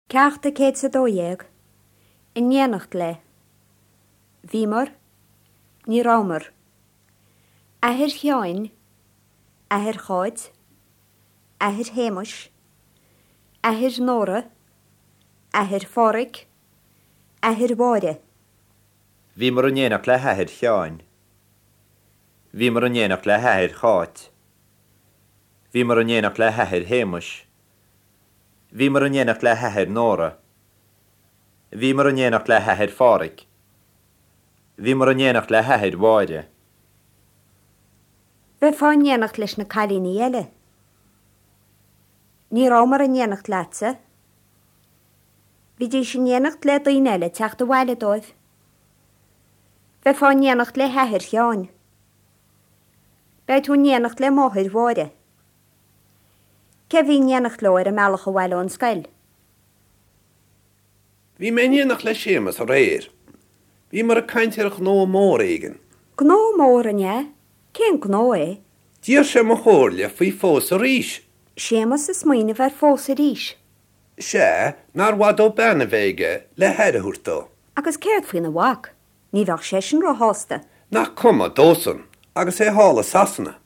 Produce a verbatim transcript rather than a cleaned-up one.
Ceacht a céad is a dó dhéag, in éineacht le. Bhíomar, ní rabhamar. Athair Sheáin, athair Cháit, athair Shéamais, athair Nóra, athair Phádraig, athair Mháire. Bhíomar in éineacht le hathair Sheáin. Bhíomar in éineacht le hathair Cháit. Bhíomar in éineacht le hathair Shéamais. Bhíomar in éineacht le hathair Nóra. Bhíomar in éineacht le hathair Phádraig. Bhíomar in éineacht le hathair Mháire. Bheifeá in éineacht leis na cailíní eile. Ní rabhamar in éineacht leatsa. Bhídís in éineacht le daoine eile teacht abhaile dóibh. Bheifeá in éineacht le hathair Sheáin. Beidh tú in éineacht le máthair Mháire. Cé bhí in éineacht leo ar a mbealach abhaile ón scoil? Bhí mé in éineacht le Séamus aréir. Bhíomar ag caint ar ghnó mór éigin. Gnó mór an ea? Cén gnó é? D'iarr sé mo chomhairle faoi phósadh arís. Séamus ag smaoineamh ar phósadh arís. Sea, nár mhaith dó bean a bheith aige le haire a thabhairt dó. Agus céard faoina mhac? Ní bheadh seisean róshásta. Nach cuma dósan, agus é thall i Sasana.